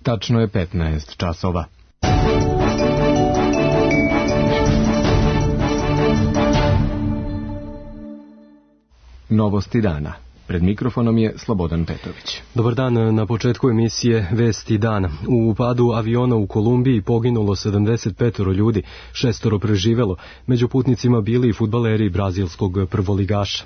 Tačno je 15 časova. Novosti dana. Pred mikrofonom je Slobodan Petović. Dobar dan, na početku emisije Vesti dana. U upadu aviona u Kolumbiji poginulo 75 ljudi, 6 preživelo, među putnicima bili i fudbaleri brazilskog prvoligaša.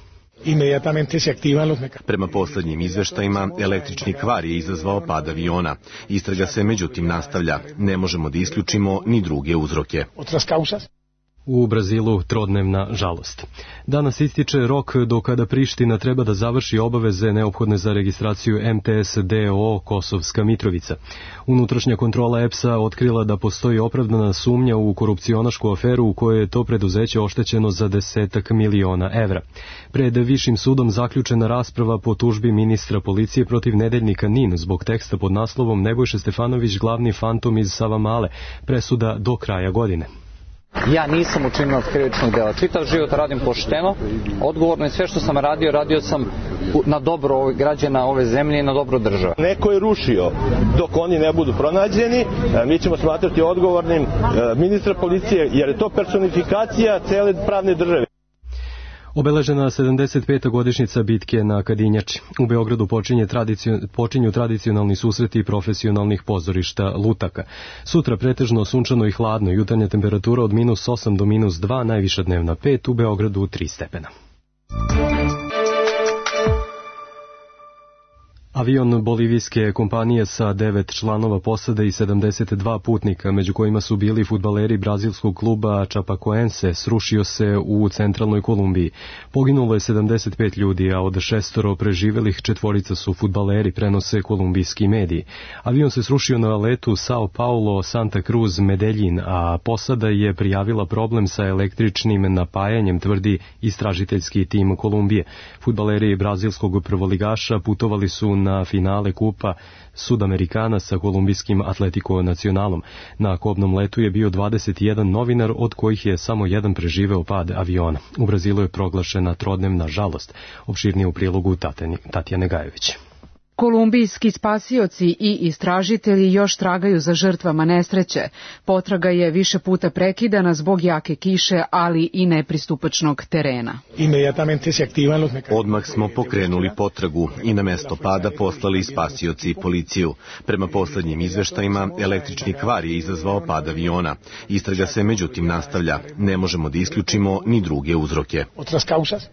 Prema poslednjim izveštajima, električni kvar je izazvao pad aviona. Istraga se međutim nastavlja. Ne možemo da isključimo ni druge uzroke. U Brazilu trodnevna žalost. Danas ističe rok do kada Priština treba da završi obaveze neophodne za registraciju MTS DOO Kosovska Mitrovica. Unutrašnja kontrola EPS-a otkrila da postoji opravdana sumnja u korupcionašku aferu u kojoj je to preduzeće oštećeno za 10 miliona evra. Pred Višim sudom zaključena rasprava po tužbi ministra policije protiv nedeljnika NIN zbog teksta pod naslovom Nebojša Stefanović glavni fantom iz Savamale, presuda do kraja godine. Ja nisam učinilac krivičnog dela. Čitav život radim pošteno, odgovorno i sve što sam radio sam na dobro građana ove zemlje i na dobro države. Neko je rušio dok oni ne budu pronađeni, mi ćemo smatrati odgovornim ministra policije jer je to personifikacija cele pravne države. Obeležena 75. godišnjica bitke na Kadinjači. U Beogradu počinju tradicionalni susreti profesionalnih pozorišta lutaka. Sutra pretežno sunčano i hladno, jutarnja temperatura od -8 do -2, najviša dnevna 5, u Beogradu 3 stepena. Avion bolivijske kompanije sa 9 članova posade i 72 putnika, među kojima su bili fudbaleri brazilskog kluba Chapecoense, srušio se u centralnoj Kolumbiji. Poginulo je 75 ljudi, a od 6 preživelih 4 su fudbaleri, prenose kolumbijski mediji. Avion se srušio na letu Sao Paulo, Santa Cruz, Medellin, a posada je prijavila problem sa električnim napajanjem, tvrdi istražiteljski tim Kolumbije. Fudbaleri brazilskog prvoligaša putovali su na finale kupa Sudamerikana sa kolumbijskim Atletico Nacionalom. Na kobnom letu je bio 21 novinar, od kojih je samo jedan preživeo pad aviona. U Brazilu je proglašena trodnevna žalost. Opširnije u prilogu Tatjane Gajević. Kolumbijski spasioci i istražitelji još tragaju za žrtvama nesreće. Potraga je više puta prekidana zbog jake kiše, ali i nepristupačnog terena. Odmah smo pokrenuli potragu i na mesto pada poslali spasioci i policiju. Prema poslednjim izveštajima, električni kvar je izazvao pad aviona. Istraga se međutim nastavlja. Ne možemo da isključimo ni druge uzroke.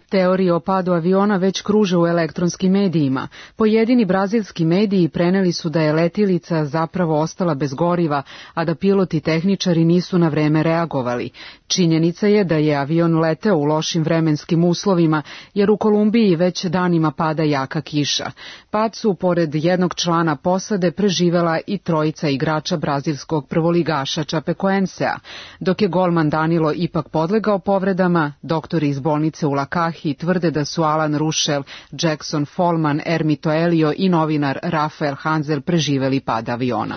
Teorije o padu aviona već kruže u elektronskim medijima. Pojedini brazilski mediji preneli su da je letilica zapravo ostala bez goriva, a da piloti i tehničari nisu na vreme reagovali. Činjenica je da je avion leteo u lošim vremenskim uslovima, jer u Kolumbiji već danima pada jaka kiša. Pad su, pored jednog člana posade, preživela i 3 igrača brazilskog prvoligaša Chapecoensea. Dok je golman Danilo ipak podlegao povredama, doktori iz bolnice u Lakahi tvrde da su Alan Ruschel, Jackson Follman, Ermito Elio i novinar Rafael Hanzel preživeli pad aviona.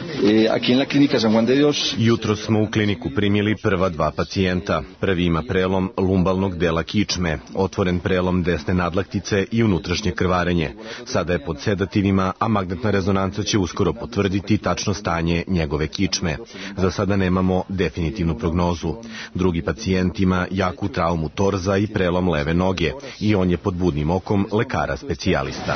Jutro smo u kliniku primili prva 2 pacijenta. Prvi ima prelom lumbalnog dela kičme, otvoren prelom desne nadlaktice i unutrašnje krvarenje. Sada je pod sedativima, a magnetna rezonanca će uskoro potvrditi tačno stanje njegove kičme. Za sada nemamo definitivnu prognozu. Drugi pacijent ima jaku traumu torza i prelom leve noge i on je pod budnim okom lekara specijalista.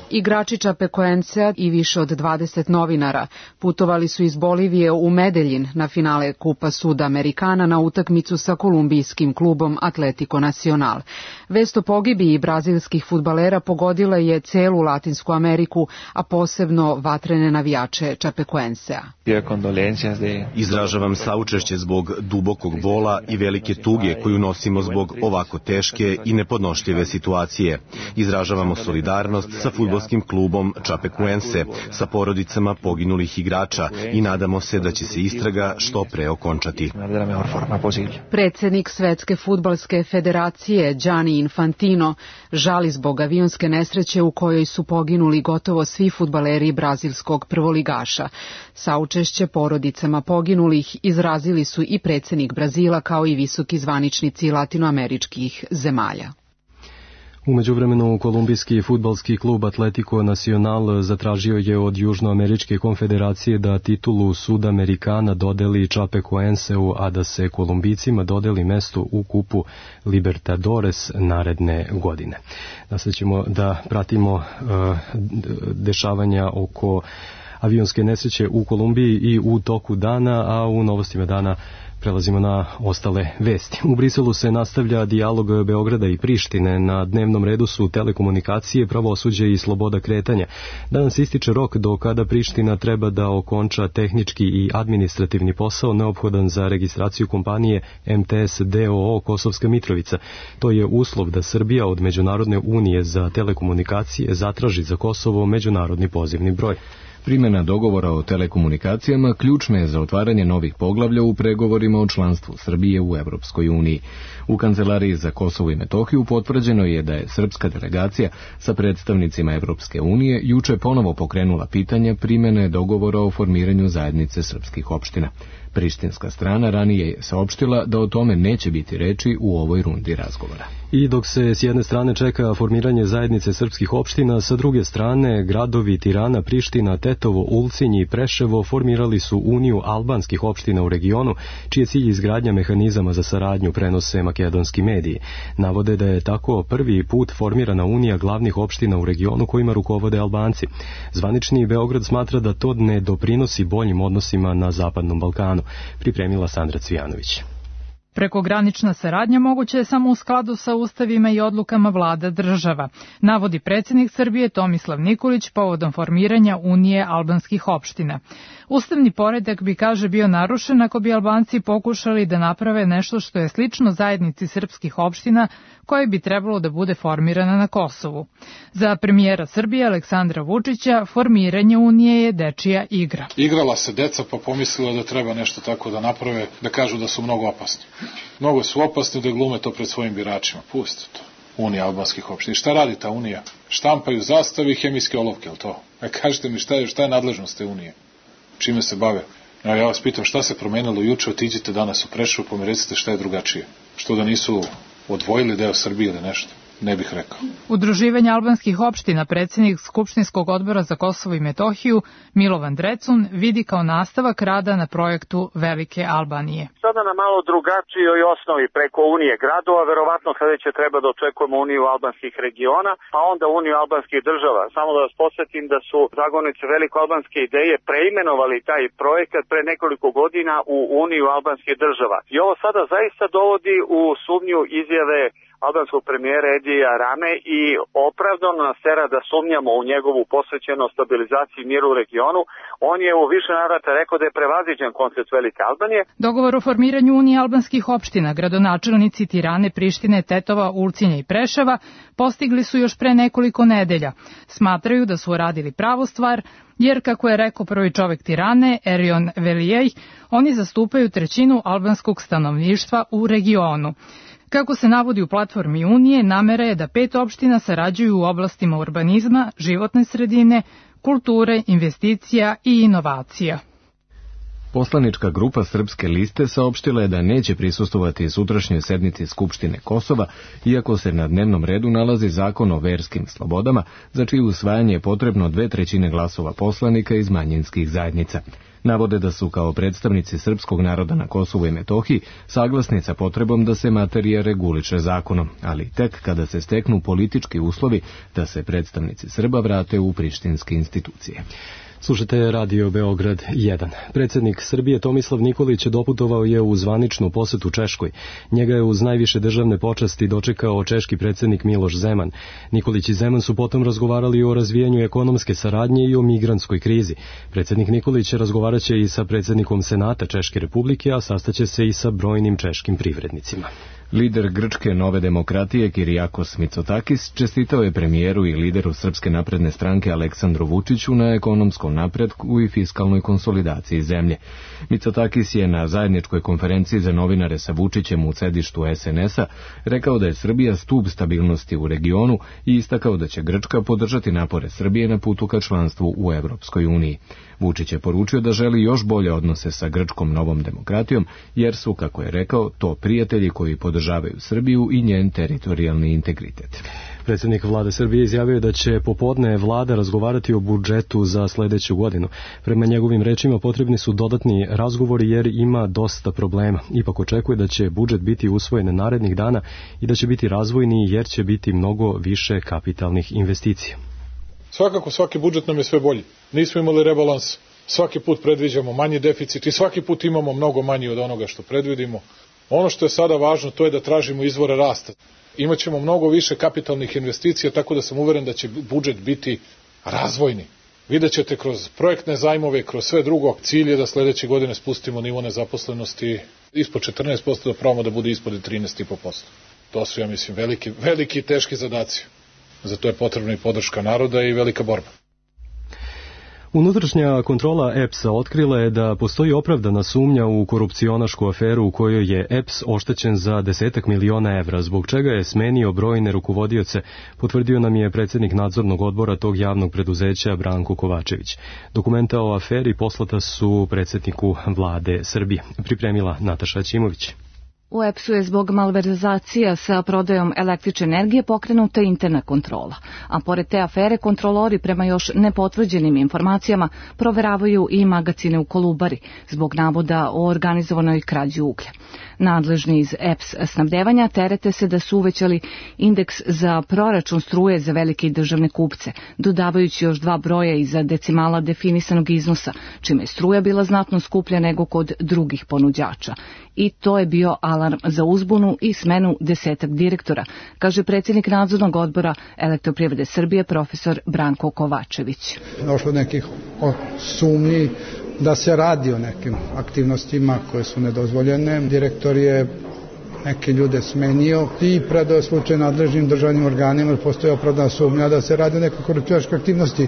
Igrači Chapecoensea i više od 20 novinara putovali su iz Bolivije u Medellin na finale Kupa Sudamerikana na utakmicu sa kolumbijskim klubom Atletico Nacional. Vest o pogibiji brazilskih fudbalera pogodila je celu Latinsku Ameriku, a posebno vatrene navijače Chapecoensea. Izražavam saučešće zbog dubokog bola i velike tuge koju nosimo zbog ovako teške i nepodnošljive situacije. Izražavamo solidarnost sa fudbalskim klubom Chapecoense, sa porodicama poginulih igrača i nadamo se da će se istraga što pre okončati. Predsednik Svetske fudbalske federacije Gianni Infantino žali zbog avionske nesreće u kojoj su poginuli gotovo svi fudbaleri brazilskog prvoligaša. Saučešće porodicama poginulih izrazili su i predsednik Brazila kao i visoki zvaničnici latinoameričkih zemalja. U međuvremenu kolumbijski fudbalski klub Atletico Nacional zatražio je od Južnoameričke konfederacije da titulu Sudamericana dodeli Chapecoenseu, a da se Kolumbijcima dodeli mesto u kupu Libertadores naredne godine. Sad ćemo da pratimo dešavanja oko avionske nesreće u Kolumbiji i u toku dana, a u novostima dana prelazimo na ostale vesti. U Briselu se nastavlja dijalog Beograda i Prištine. Na dnevnom redu su telekomunikacije, pravosuđe i sloboda kretanja. Danas ističe rok do kada Priština treba da okonča tehnički i administrativni posao neophodan za registraciju kompanije MTS DOO Kosovska Mitrovica. To je uslov da Srbija od Međunarodne unije za telekomunikacije zatraži za Kosovo međunarodni pozivni broj. Primjena dogovora o telekomunikacijama ključna je za otvaranje novih poglavlja u pregovorima o članstvu Srbije u Evropskoj uniji. U Kancelariji za Kosovo i Metohiju potvrđeno je da je srpska delegacija sa predstavnicima Evropske unije juče ponovo pokrenula pitanje primjene dogovora o formiranju zajednice srpskih opština. Prištinska strana ranije je saopštila da o tome neće biti reči u ovoj rundi razgovora. I dok se s jedne strane čeka formiranje zajednice srpskih opština, sa druge strane gradovi Tirana, Priština, Tetovo, Ulcinj i Preševo formirali su Uniju albanskih opština u regionu, čiji je cilj izgradnja mehanizama za saradnju, prenose makedonski mediji. Navode da je tako prvi put formirana Unija glavnih opština u regionu kojima rukovode Albanci. Zvanični Beograd smatra da to ne doprinosi boljim odnosima na Zapadnom Balkanu. Pripremila Sandra Cvijanović. Prekogranična saradnja moguća je samo u skladu sa ustavima i odlukama vlada država, navodi predsjednik Srbije Tomislav Nikolić povodom formiranja Unije albanskih opština. Ustavni poredak bi, kaže, bio narušen ako bi Albanci pokušali da naprave nešto što je slično zajednici srpskih opština koje bi trebalo da bude formirana na Kosovu. Za premijera Srbije Aleksandra Vučića formiranje Unije je dečija igra. Igrala se deca pa pomislila da treba nešto tako da naprave, da kažu da su mnogo opasni. Mnogo su opasni da glume to pred svojim biračima. Pustite to. Unija albanskih opština. Šta radi ta Unija? Štampaju zastave i hemijske olovke, je li to? Kažite mi šta je nadležnost te Unije? Čime se bave? Ja vas pitam šta se promenilo juče, otiđite danas u Preševo pa mi recite šta je drugačije. Što da nisu odvojili deo Srbije ili nešto? Ne bih rekao. Udruživanje albanskih opština predsjednik Skupštinskog odbora za Kosovo i Metohiju Milovan Drecun vidi kao nastavak rada na projektu Velike Albanije. Sada na malo drugačijoj osnovi preko Unije gradova, verovatno sledeće treba da očekujemo Uniju albanskih regiona, a onda Uniju albanskih država. Samo da vas podsjetim da su zagovornici velikoalbanske ideje preimenovali taj projekat pre nekoliko godina u Uniju albanskih država. I ovo sada zaista dovodi u sumnju izjave albanskog premijera Edija Rame i opravdano nas tera da sumnjamo u njegovu posvećenost stabilizaciji i miru u regionu. On je u više navrata rekao da je prevaziđen koncept Velike Albanije. Dogovor o formiranju Unije albanskih opština gradonačelnici Tirane, Prištine, Tetova, Ulcinja i Preševa postigli su još pre nekoliko nedelja. Smatraju da su uradili pravu stvar, jer, kako je rekao prvi čovek Tirane, Erion Velijej, oni zastupaju trećinu albanskog stanovništva u regionu. Kako se navodi u platformi Unije, namera je da 5 opština sarađuju u oblastima urbanizma, životne sredine, kulture, investicija i inovacija. Poslanička grupa Srpske liste saopštila je da neće prisustvovati sutrašnjoj sednici Skupštine Kosova, iako se na dnevnom redu nalazi zakon o verskim slobodama, za čije usvajanje je potrebno 2/3 glasova poslanika iz manjinskih zajednica. Navode da su kao predstavnici srpskog naroda na Kosovu i Metohiji saglasni sa potrebom da se materija reguliše zakonom, ali tek kada se steknu politički uslovi da se predstavnici Srba vrate u prištinske institucije. Slušate Radio Beograd 1. Predsjednik Srbije Tomislav Nikolić doputovao je u zvaničnu posetu Češkoj. Njega je uz najviše državne počasti dočekao češki predsjednik Miloš Zeman. Nikolić i Zeman su potom razgovarali o razvijanju ekonomske saradnje i o migrantskoj krizi. Predsjednik Nikolić razgovaraće i sa predsjednikom Senata Češke Republike, a sastaće se i sa brojnim češkim privrednicima. Lider grčke Nove demokratije Kirijakos Mitsotakis čestitao je premijeru i lideru Srpske napredne stranke Aleksandru Vučiću na ekonomskom napretku i fiskalnoj konsolidaciji zemlje. Mitsotakis je na zajedničkoj konferenciji za novinare sa Vučićem u sedištu SNS-a rekao da je Srbija stub stabilnosti u regionu i istakao da će Grčka podržati napore Srbije na putu ka članstvu u Evropskoj uniji. Vučić je poručio da želi još bolje odnose sa grčkom Novom demokratijom, jer su, kako je rekao, to prijatelji koji podržavaju podržavaju Srbiju i njen teritorijalni integritet. Predsjednik vlade Srbije izjavio da će popodne vlada razgovarati o budžetu za sledeću godinu. Prema njegovim rečima potrebni su dodatni razgovori jer ima dosta problema. Ipak očekuje da će budžet biti usvojen narednih dana i da će biti razvojni jer će biti mnogo više kapitalnih investicija. Svakako svaki budžet nam je sve bolji. Nismo imali rebalans, svaki put predviđamo manji deficit i svaki put imamo mnogo manji od onoga što predvidimo. Ono što je sada važno to je da tražimo izvore rasta. Imaćemo mnogo više kapitalnih investicija, tako da sam uveren da će budžet biti razvojni. Vidjet ćete kroz projektne zajmove, kroz sve drugo, cilj je da sledeće godine spustimo nivo nezaposlenosti ispod 14%, da probamo da bude ispod 13,5%. To su, ja mislim, veliki i teški zadaci. Za to je potrebna i podrška naroda i velika borba. Unutrašnja kontrola EPS-a otkrila je da postoji opravdana sumnja u korupcionašku aferu u kojoj je EPS oštećen za 10 miliona evra, zbog čega je smenio brojne rukovodioce, potvrdio nam je predsjednik nadzornog odbora tog javnog preduzeća Branko Kovačević. Dokumenta o aferi poslata su predsjedniku vlade Srbije. Pripremila Nataša Ćimović. U EPS-u je zbog malverzacija sa prodajom električne energije pokrenuta interna kontrola, a pored te afere kontrolori prema još nepotvrđenim informacijama proveravaju i magacine u Kolubari zbog navoda o organizovanoj krađi uglja. Nadležni iz EPS snabdevanja terete se da su uvećali indeks za proračun struje za velike državne kupce, dodavajući još 2 broja iza decimala definisanog iznosa, čime je struja bila znatno skuplja nego kod drugih ponuđača. I to je bio alarm za uzbunu i smenu 10 direktora, kaže predsjednik nadzornog odbora Elektroprivrede Srbije profesor Branko Kovačević. Došlo nekih sumnji da se radi o nekim aktivnostima koje su nedozvoljene. Direktor je neke ljude smenio i predao slučaj nadležnim državnim organima, jer postoji opravdana sumnja da se radi o nekoj korupcionaškoj aktivnosti,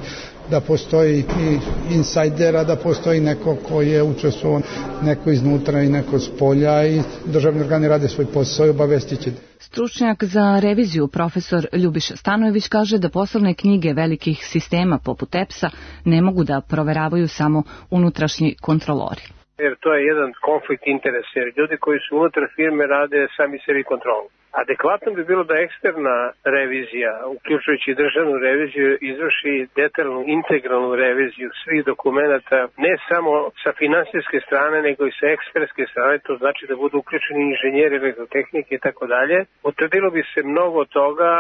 da postoji i insajdera, da postoji neko ko je učestvovao, neko iznutra i neko s polja, i državni organi rade svoj posao i obavestit će. Stručnjak za reviziju profesor Ljubiša Stanojević kaže da poslovne knjige velikih sistema poput EPS-a ne mogu da proveravaju samo unutrašnji kontrolori. Jer to je jedan konflikt interesa, jer ljudi koji su unutar firme rade sami sebi kontrolu. Adekvatno bi bilo da eksterna revizija, uključujući državnu reviziju, izvrši detaljnu integralnu reviziju svih dokumenata, ne samo sa finansijske strane, nego i sa ekspertske strane, to znači da budu uključeni inženjeri elektrotehnike i tako dalje. Utvrdilo bi se mnogo toga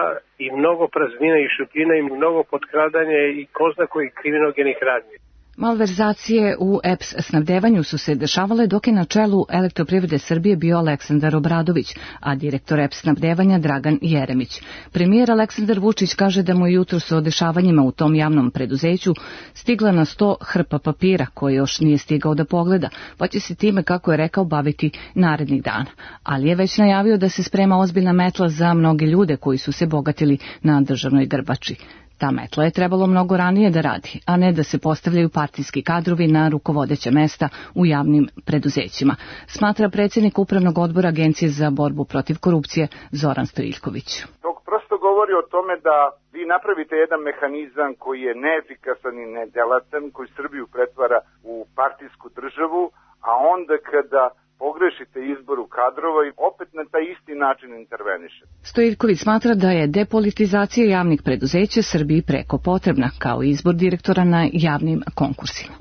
i mnogo praznina i šupljina i mnogo potkradanja i ko zna kojih kriminogenih radnji. Malverzacije u EPS snabdevanju su se dešavale dok je na čelu Elektroprivrede Srbije bio Aleksandar Obradović, a direktor EPS snabdevanja Dragan Jeremić. Premijer Aleksandar Vučić kaže da mu jutros o dešavanjima u tom javnom preduzeću stigla na 100 hrpa papira koje još nije stigao da pogleda, pa će se time, kako je rekao, baviti narednih dana. Ali je već najavio da se sprema ozbiljna metla za mnoge ljude koji su se bogatili na državnoj grbači. Ta metla je trebalo mnogo ranije da radi, a ne da se postavljaju partijski kadrovi na rukovodeća mesta u javnim preduzećima, smatra predsjednik Upravnog odbora Agencije za borbu protiv korupcije Zoran Stojiljković. To prosto govori o tome da vi napravite jedan mehanizam koji je neefikasan i nedelatan, koji Srbiju pretvara u partijsku državu, a onda kada pogrešite izboru kadrova i opet na taj isti način interveniše. Stojiljković smatra da je depolitizacija javnih preduzeća Srbiji preko potrebna, kao i izbor direktora na javnim konkursima.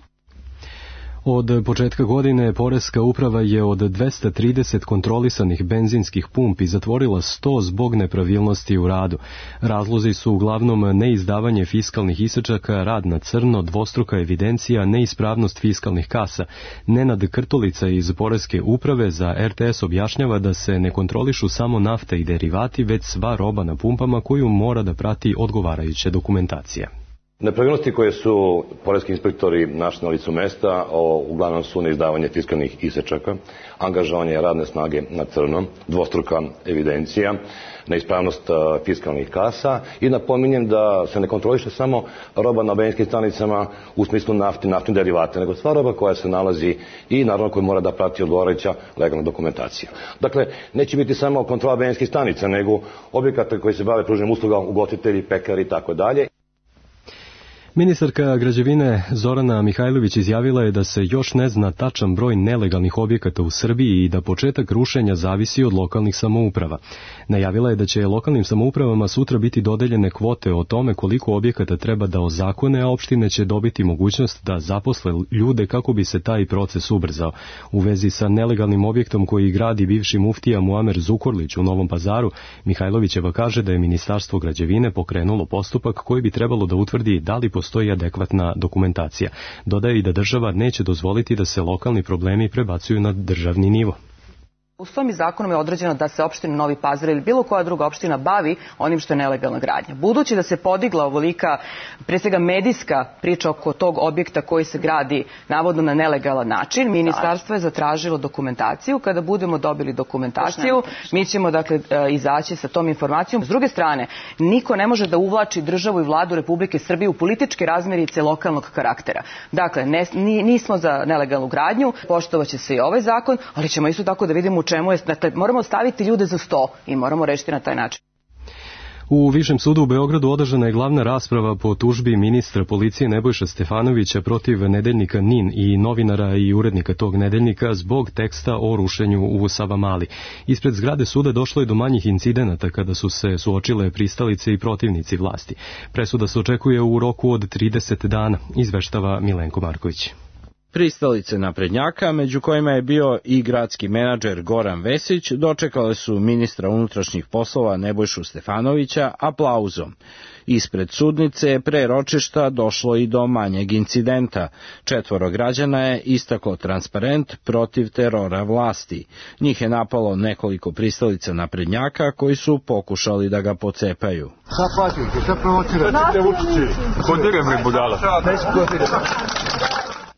Od početka godine Poreska uprava je od 230 kontrolisanih benzinskih pumpi zatvorila 100 zbog nepravilnosti u radu. Razlozi su uglavnom neizdavanje fiskalnih isečaka, rad na crno, dvostruka evidencija, neispravnost fiskalnih kasa. Nenad Krtolica iz Poreske uprave za RTS objašnjava da se ne kontrolišu samo nafta i derivati, već sva roba na pumpama koju mora da prati odgovarajuća dokumentacija. Nepravilnosti koje su poreski inspektori našli na licu mesta uglavnom su neizdavanje fiskalnih isečaka, angažovanje radne snage na crno, dvostruka evidencija, neispravnost fiskalnih kasa i napominjem da se ne kontroliše samo roba na benzinskim stanicama u smislu naftnih derivata, nego sva roba koja se nalazi i naravno koja mora da prati odgovarajuća legalna dokumentacija. Dakle, neće biti samo kontrola benzinskih stanica, nego objekata koji se bave pružanjem usluga, ugostitelji, pekari i tako dalje. Ministarka građevine Zorana Mihajlović izjavila je da se još ne zna tačan broj nelegalnih objekata u Srbiji i da početak rušenja zavisi od lokalnih samouprava. Najavila je da će lokalnim samoupravama sutra biti dodeljene kvote o tome koliko objekata treba da ozakone, a opštine će dobiti mogućnost da zaposle ljude kako bi se taj proces ubrzao. U vezi sa nelegalnim objektom koji gradi bivši muftija Muamer Zukorlić u Novom Pazaru, Mihajlovićeva kaže da je Ministarstvo građevine pokrenulo postupak koji bi trebalo da utvrdi da li postoji adekvatna dokumentacija. Dodaje i da država neće dozvoliti da se lokalni problemi prebacuju na državni nivo. Ustavom i zakonom je određeno da se opština Novi Pazar ili bilo koja druga opština bavi onim što je nelegalna gradnja. Budući da se podigla ovolika, pre svega medijska priča oko tog objekta koji se gradi navodno na nelegalan način, ministarstvo je zatražilo dokumentaciju. Kada budemo dobili dokumentaciju, mi ćemo dakle izaći sa tom informacijom. S druge strane, niko ne može da uvlači državu i vladu Republike Srbije u političke razmirice lokalnog karaktera. Dakle, nismo za nelegalnu gradnju, poštovaće se i ovaj zakon, ali ćemo isto tako da vidimo u čemu je, dakle, moramo staviti ljude za sto i moramo rešiti na taj način. U Višem sudu u Beogradu održana je glavna rasprava po tužbi ministra policije Nebojša Stefanovića protiv nedeljnika NIN i novinara i urednika tog nedeljnika zbog teksta o rušenju u Savamali. Ispred zgrade suda došlo je do manjih incidenata kada su se suočile pristalice i protivnici vlasti. Presuda se očekuje u roku od 30 dana, izveštava Milenko Marković. Pristalice naprednjaka, među kojima je bio i gradski menadžer Goran Vesić, dočekale su ministra unutrašnjih poslova Nebojšu Stefanovića aplauzom. Ispred sudnice pre ročišta došlo i do manjeg incidenta. 4 građana je istaklo transparent protiv terora vlasti. Njih je napalo nekoliko pristalica naprednjaka koji su pokušali da ga pocepaju. Šta plaćate? Šta provocirate? Vučići, podirem li budala?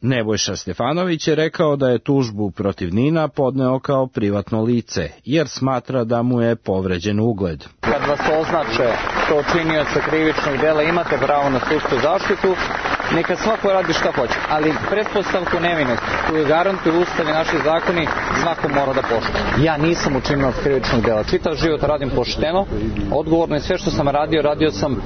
Nebojša Stefanović je rekao da je tužbu protiv Nina podneo kao privatno lice, jer smatra da mu je povređen ugled. Kad vas označe kao činioca krivičnog dela, imate pravo na sudsku zaštitu, neka svako radi šta hoće, ali pretpostavku nevinosti koju garantuju Ustav i naši zakoni svako mora da poštuje. Ja nisam učinilac krivičnog dela, čitav život radim pošteno, odgovorno i sve što sam radio sam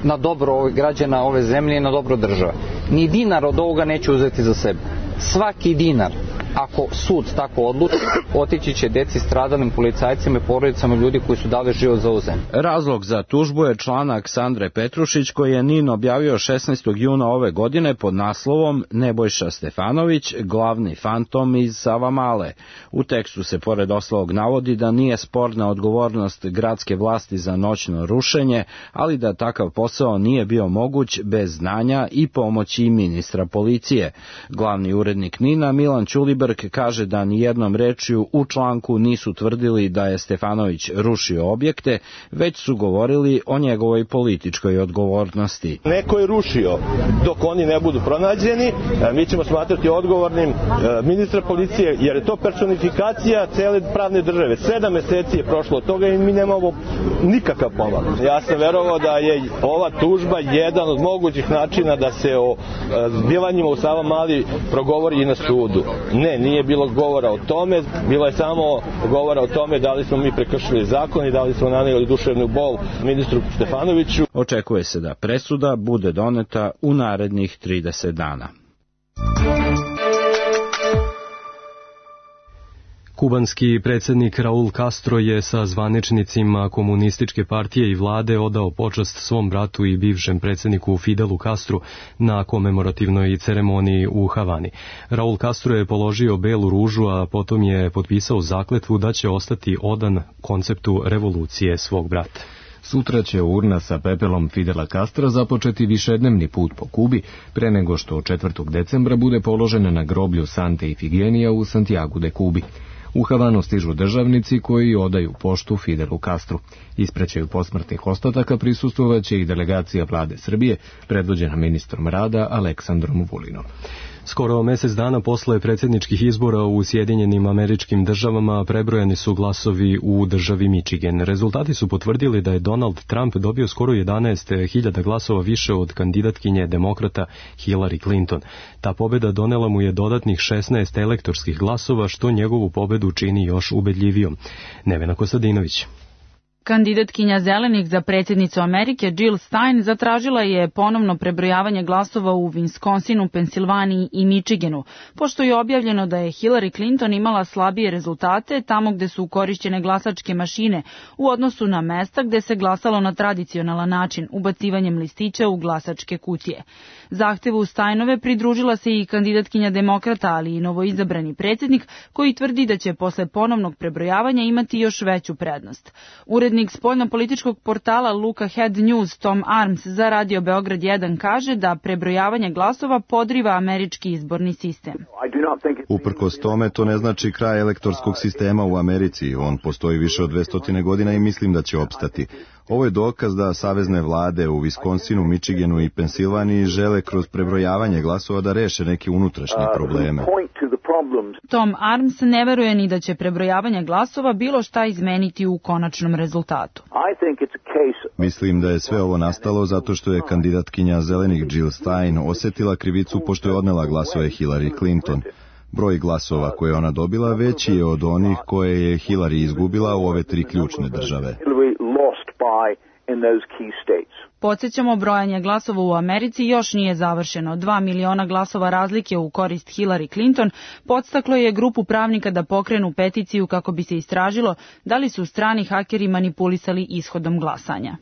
na dobro građana ove zemlje i na dobro države. Ni dinar od ovoga neću uzeti za sebe. Svaki dinar, ako sud tako odluči, otići će deci stradalim policajcima i porodicama ljudi koji su dali život za ovu zemlju. Razlog za tužbu je članak Sandre Petrušić koji je NIN objavio 16. juna ove godine pod naslovom Nebojša Stefanović, glavni fantom iz Savamale. U tekstu se pored ostalog navodi da nije sporna odgovornost gradske vlasti za noćno rušenje, ali da takav posao nije bio moguć bez znanja i pomoći ministra policije. Glavni urednik NIN-a Milan Ćulibrk kaže da nijednom rečju u članku nisu tvrdili da je Stefanović rušio objekte, već su govorili o njegovoj političkoj odgovornosti. Neko je rušio. Dok oni ne budu pronađeni, mi ćemo smatrati odgovornim ministra policije, jer je to personifikacija cele pravne države. 7 meseci je prošlo od toga i mi nemamo nikakav pomak. Ja sam verovao da je ova tužba jedan od mogućih načina da se o zbivanjima u Savamali progovori i na sudu. Ne, nije bilo govora o tome, bilo je samo govora o tome da li smo mi prekršili zakon i da li smo nanijeli duševnu bol ministru Stefanoviću. Očekuje se da presuda bude doneta u narednih 30 dana. Kubanski predsjednik Raul Castro je sa zvaničnicima komunističke partije i vlade odao počast svom bratu i bivšem predsjedniku Fidelu Castru na komemorativnoj ceremoniji u Havani. Raul Castro je položio belu ružu, a potom je potpisao zakletvu da će ostati odan konceptu revolucije svog brata. Sutra će urna sa pepelom Fidela Castra započeti višednevni put po Kubi, pre nego što 4. decembra bude položena na groblju Sante Ifigenija u Santiagu de Kubi. U Havanu stižu državnici koji odaju poštu Fidelu Castru. Ispraćaju posmrtnih ostataka prisustvovaće i delegacija vlade Srbije, predvođena ministrom rada Aleksandrom Vulinom. Skoro mjesec dana posle predsjedničkih izbora u Sjedinjenim Američkim Državama prebrojani su glasovi u državi Michigan. Rezultati su potvrdili da je Donald Trump dobio skoro 11.000 glasova više od kandidatkinje demokrata Hillary Clinton. Ta pobjeda donela mu je dodatnih 16 elektorskih glasova, što njegovu pobjedu čini još ubedljivijom. Nevena Kostadinović. Kandidatkinja Zelenih za predsjednicu Amerike Jill Stein zatražila je ponovno prebrojavanje glasova u Wisconsinu, Pensilvaniji i Michiganu, pošto je objavljeno da je Hillary Clinton imala slabije rezultate tamo gde su korišćene glasačke mašine u odnosu na mesta gde se glasalo na tradicionalan način, ubacivanjem listića u glasačke kutije. Zahtevu Steinove pridružila se i kandidatkinja demokrata, ali i novoizabrani predsjednik, koji tvrdi da će posle ponovnog prebrojavanja imati još veću prednost. Urednik spoljnopolitičkog portala Luka Head News Tom Arms za Radio Beograd 1 kaže da prebrojavanje glasova podriva američki izborni sistem. Uprkos tome, to ne znači kraj elektorskog sistema u Americi. On postoji više od 200 godina i mislim da će opstati. Ovo je dokaz da savezne vlade u Wisconsinu, Michiganu i Pensilvaniji žele kroz prebrojavanje glasova da reše neke unutrašnje probleme. Tom Arms ne veruje ni da će prebrojavanje glasova bilo šta izmeniti u konačnom rezultatu. Mislim da je sve ovo nastalo zato što je kandidatkinja Zelenih Jill Stein osetila krivicu pošto je odnela glasove Hillary Clinton. Broj glasova koje ona dobila veći je od onih koje je Hillary izgubila u ove tri ključne države. Podsjećamo, brojanje glasova u Americi još nije završeno. 2 miliona glasova razlike u korist Hillary Clinton podstaklo je grupu pravnika da pokrenu peticiju kako bi se istražilo da li su strani hakeri manipulisali ishodom glasanja.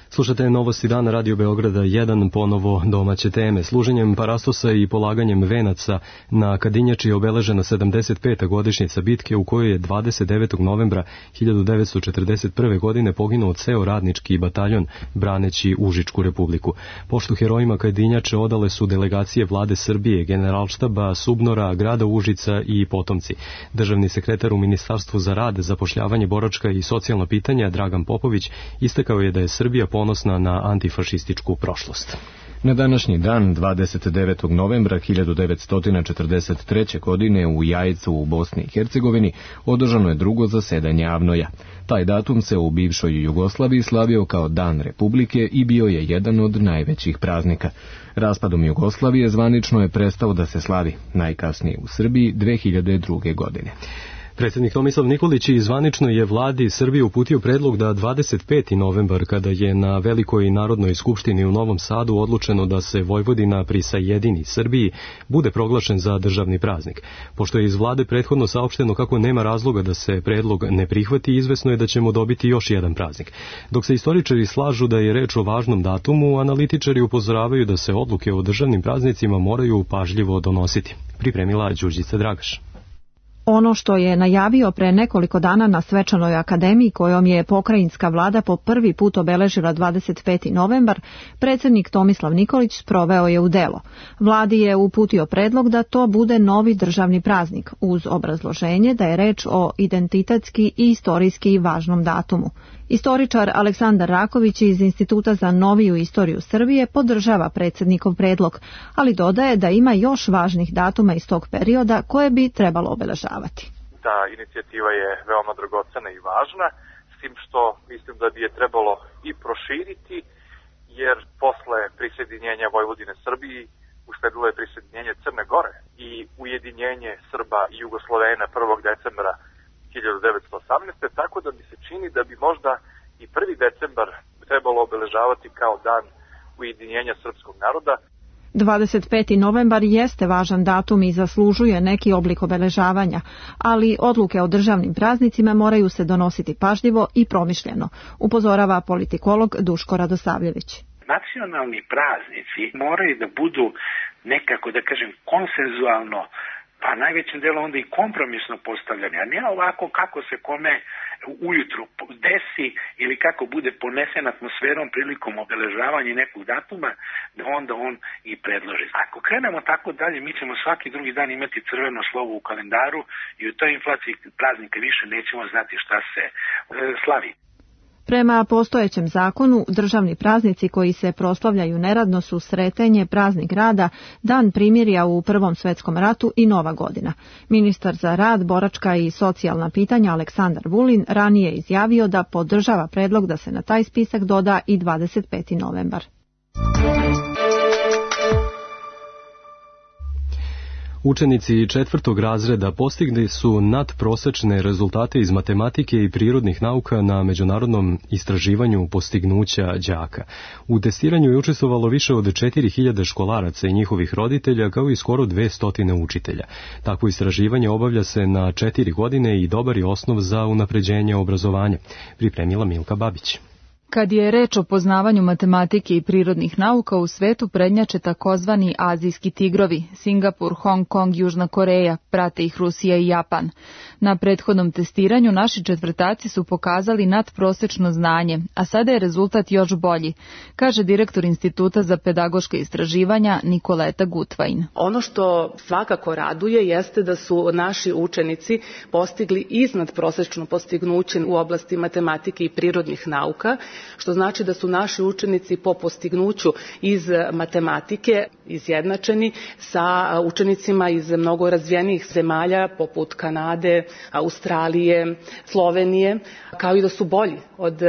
Slušate novosti dana Radio Beograda 1, ponovo domaće teme. Služenjem parastosa i polaganjem venaca na Kadinjači je obeležena 75. godišnjica bitke u kojoj je 29. novembra 1941. godine poginuo ceo radnički bataljon braneći Užičku republiku. Poštu herojima Kadinjače odale su delegacije vlade Srbije, Generalštaba, Subnora, grada Užica i potomci. Državni sekretar u Ministarstvu za rad, zapošljavanje, boračka i socijalna pitanja Dragan Popović istakao je da je Srbija ponosna na antifašističku prošlost. Na današnji dan, 29. novembra 1943. godine u Jajcu u Bosni i Hercegovini održano je drugo zasedanje AVNOJ-a. Taj datum se u bivšoj Jugoslaviji slavio kao Dan Republike i bio je jedan od najvećih praznika. Raspadom Jugoslavije zvanično je prestao da se slavi, najkasnije u Srbiji 2002. godine. Predsjednik Tomislav Nikolić zvanično je vladi Srbije uputio predlog da 25. novembar, kada je na Velikoj narodnoj skupštini u Novom Sadu odlučeno da se Vojvodina prisajedini Srbiji, bude proglašen za državni praznik. Pošto je iz vlade prethodno saopšteno kako nema razloga da se predlog ne prihvati, izvesno je da ćemo dobiti još jedan praznik. Dok se istoričari slažu da je reč o važnom datumu, analitičari upozoravaju da se odluke o državnim praznicima moraju pažljivo donositi. Pripremila Đurđica Dragaš. Ono što je najavio pre nekoliko dana na svečanoj akademiji kojom je pokrajinska vlada po prvi put obeležila 25. novembar, predsjednik Tomislav Nikolić sproveo je u delo. Vladi je uputio predlog da to bude novi državni praznik, uz obrazloženje da je reč o identitetski i istorijski važnom datumu. Istoričar Aleksandar Raković iz Instituta za noviju istoriju Srbije podržava predsjednikov predlog, ali dodaje da ima još važnih datuma iz tog perioda koje bi trebalo obeležavati. Ta inicijativa je veoma dragocena i važna, s tim što mislim da bi je trebalo i proširiti, jer posle prisjedinjenja Vojvodine Srbiji usledilo je prisjedinjenje Crne Gore i ujedinjenje Srba i Jugoslovena 1. decembra 1918. Tako da mi se čini da bi možda i 1. decembar trebalo obeležavati kao dan ujedinjenja srpskog naroda. 25. novembar jeste važan datum i zaslužuje neki oblik obeležavanja, ali odluke o državnim praznicima moraju se donositi pažljivo i promišljeno, upozorava politikolog Duško Radosavljević. Nacionalni praznici moraju da budu nekako, da kažem, konsenzualno, pa najvećim delom onda i kompromisno postavljanje, a ne ovako kako se kome ujutru desi ili kako bude ponesen atmosferom prilikom obeležavanja nekog datuma, da onda on i predloži. Ako krenemo tako dalje, mi ćemo svaki drugi dan imati crveno slovo u kalendaru i u toj inflaciji praznika više nećemo znati šta se slavi. Prema postojećem zakonu, državni praznici koji se proslavljaju neradno su Sretenje, praznik rada, Dan primirja u Prvom svetskom ratu i Nova godina. Ministar za rad, boračka i socijalna pitanja Aleksandar Vulin ranije izjavio da podržava predlog da se na taj spisak doda i 25. novembar. Učenici 4. razreda postigli su nadprosečne rezultate iz matematike i prirodnih nauka na međunarodnom istraživanju postignuća đaka. U testiranju je učestvovalo više od 4000 školaraca i njihovih roditelja, kao i skoro 200 učitelja. Takvo istraživanje obavlja se na 4 godine i dobar je osnov za unapređenje obrazovanja, pripremila Milka Babić. Kad je reč o poznavanju matematike i prirodnih nauka, u svetu prednjače takozvani azijski tigrovi, Singapur, Hong Kong, Južna Koreja, prate ih Rusija i Japan. Na prethodnom testiranju naši četvrtaci su pokazali nadprosečno znanje, a sada je rezultat još bolji, kaže direktor Instituta za pedagoška istraživanja Nikoleta Gutvajn. Ono što svakako raduje jeste da su naši učenici postigli iznadprosečno postignuće u oblasti matematike i prirodnih nauka, što znači da su naši učenici po postignuću iz matematike izjednačeni sa učenicima iz mnogo razvijenijih zemalja poput Kanade, Australije, Slovenije, kao i da su bolji od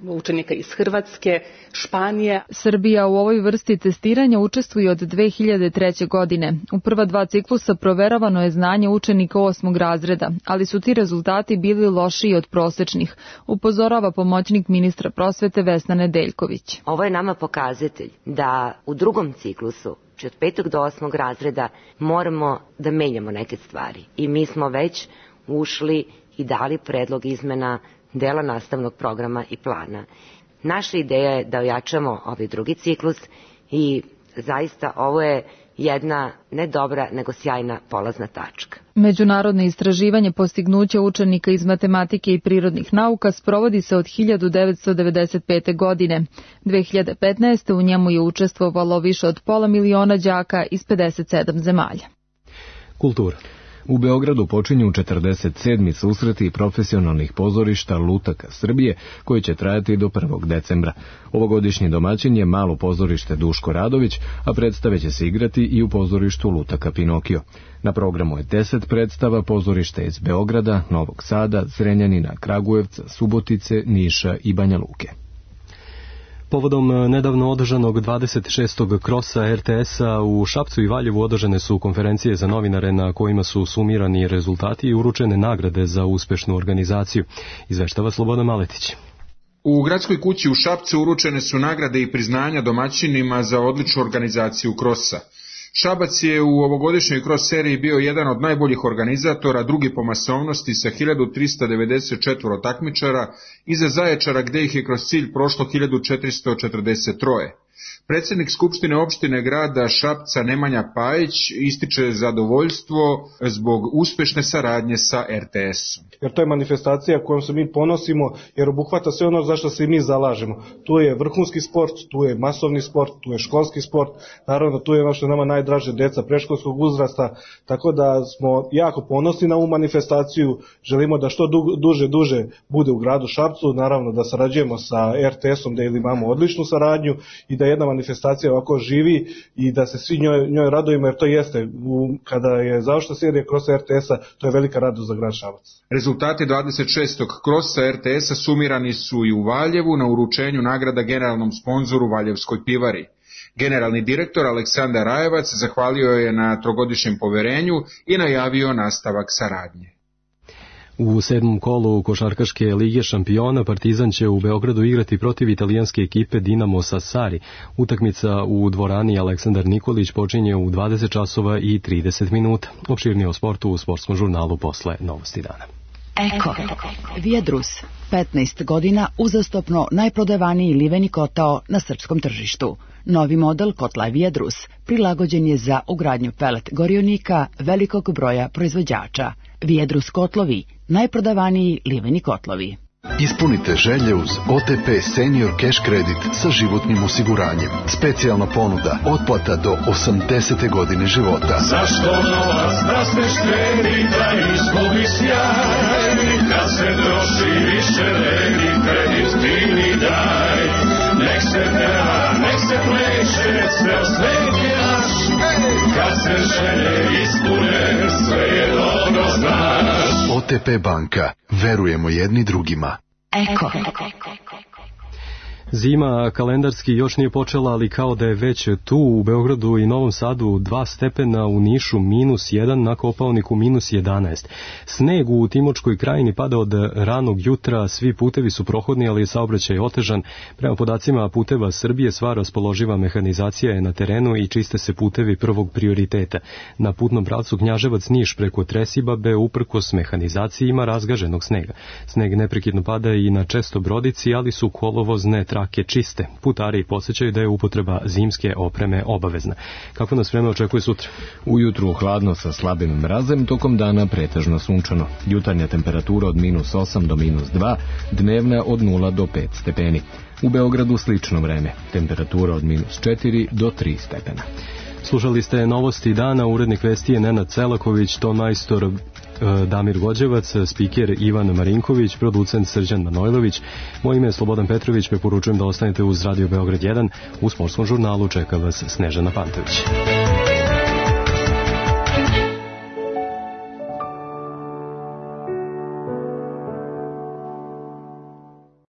učenika iz Hrvatske, Španije. Srbija u ovoj vrsti testiranja učestvuje od 2003. godine. U prva 2 ciklusa proveravano je znanje učenika 8. razreda, ali su ti rezultati bili lošiji od prosečnih, upozorava pomoćnik ministra prosvete Vesna Nedeljković. Ovo je nama pokazatelj da u drugom ciklusu, od 5. do 8. razreda, moramo da menjamo neke stvari. I mi smo već ušli i dali predlog izmena dela nastavnog programa i plana. Naša ideja je da ojačamo ovaj drugi ciklus i zaista ovo je jedna ne dobra, nego sjajna polazna tačka. Međunarodno istraživanje postignuća učenika iz matematike i prirodnih nauka sprovodi se od 1995. godine. 2015. u njemu je učestvovalo više od 500.000 đaka iz 57 zemalja. Kultura. U Beogradu počinju 47. susreti profesionalnih pozorišta Lutaka Srbije, koji će trajati do 1. decembra. Ovogodišnji domaćin je malo pozorište Duško Radović, a predstave će se igrati i u pozorištu Lutaka Pinokio. Na programu je 10 predstava pozorišta iz Beograda, Novog Sada, Zrenjanina, Kragujevca, Subotice, Niša i Banja Luke. Povodom nedavno održanog 26. krosa RTS-a u Šapcu i Valjevu održane su konferencije za novinare na kojima su sumirani rezultati i uručene nagrade za uspešnu organizaciju. Izveštava Slobodan Maletić. U Gradskoj kući u Šapcu uručene su nagrade i priznanja domaćinima za odličnu organizaciju krosa. Šabac je u ovogodišnjoj kros seriji bio jedan od najboljih organizatora, drugi po masovnosti sa 1394 takmičara, iza Zaječara gde ih je kroz cilj prošlo 1443. Predsjednik Skupštine opštine grada Šapca Nemanja Pajić ističe zadovoljstvo zbog uspešne saradnje sa RTS-om. Jer to je manifestacija kojom se mi ponosimo, jer obuhvata sve ono za što se mi zalažemo. Tu je vrhunski sport, tu je masovni sport, tu je školski sport, naravno tu je ono što je nama najdraže, deca predškolskog uzrasta, tako da smo jako ponosni na ovu manifestaciju, želimo da što duže bude u gradu Šapcu, naravno da sarađujemo sa RTS-om, da imamo odličnu saradnju i da jedna manifestacija ovako živi i da se svi njoj radujemo, jer to jeste, kada je završena serija krosa RTS-a, to je velika radost za grad Šabac. Rezultati 26. krosa RTS-a sumirani su i u Valjevu na uručenju nagrada generalnom sponzoru Valjevskoj pivari. Generalni direktor Aleksandar Rajevac zahvalio je na trogodišnjem poverenju i najavio nastavak saradnje. U 7. kolu košarkaške lige šampiona Partizan će u Beogradu igrati protiv italijanske ekipe Dinamo Sassari. Utakmica u dvorani Aleksandar Nikolić počinje u 20 časova i 30 minuta. Opširnije o sportu u sportskom žurnalu posle Novosti dana. Eko, Viadrus, 15 godina uzastopno najprodavaniji liveni kotao na srpskom tržištu. Novi model kotla Viadrus prilagođen je za ugradnju pelet gorionika velikog broja proizvođača. Viadrus kotlovi, najprodavaniji liveni kotlovi. Ispunite želje uz OTP Senior Cash Credit sa životnim osiguranjem. Specijalna ponuda, otplata do 80. godine života. Zašto novac da se štedi, da izgubi sjaj? Kad se troši više vredi, kredit ti mi daj. Nek se peva, nek se pleše, ceo svet je naš. Kad se želje ispune, sve je dobro znaš. OTP banka, verujemo jedni drugima. Eko. Zima kalendarski još nije počela, ali kao da je već tu. U Beogradu i Novom Sadu 2 stepena, u Nišu -1, na Kopaoniku -11. Sneg u Timočkoj krajini pada od ranog jutra, svi putevi su prohodni, ali je saobraćaj otežan. Prema podacima Puteva Srbije, sva raspoloživa mehanizacija je na terenu i čiste se putevi prvog prioriteta. Na putnom pravcu Knjaževac-Niš preko Tresibabe uprkos mehanizaciji ima razgaženog snega. Sneg neprekidno pada i na Čestobrodici, ali su kolovozne trake čiste. Putari podsjećaju da je upotreba zimske opreme obavezna. Kako nas vreme očekuje sutra? Ujutru hladno sa slabim mrazem, tokom dana pretežno sunčano. Jutarnja temperatura od -8 do -2, dnevna od 0 do 5 stepeni. U Beogradu slično vreme, temperatura od -4 do 3 stepena. Slušali ste novosti dana, urednik vesti je Nenad Celaković, ton majstor Damir Gođevac, spiker Ivan Marinković, producent Srđan Manojlović. Moje ime je Slobodan Petrović, preporučujem da ostanete uz Radio Beograd 1. U sportskom žurnalu čeka vas Snežana Pantović.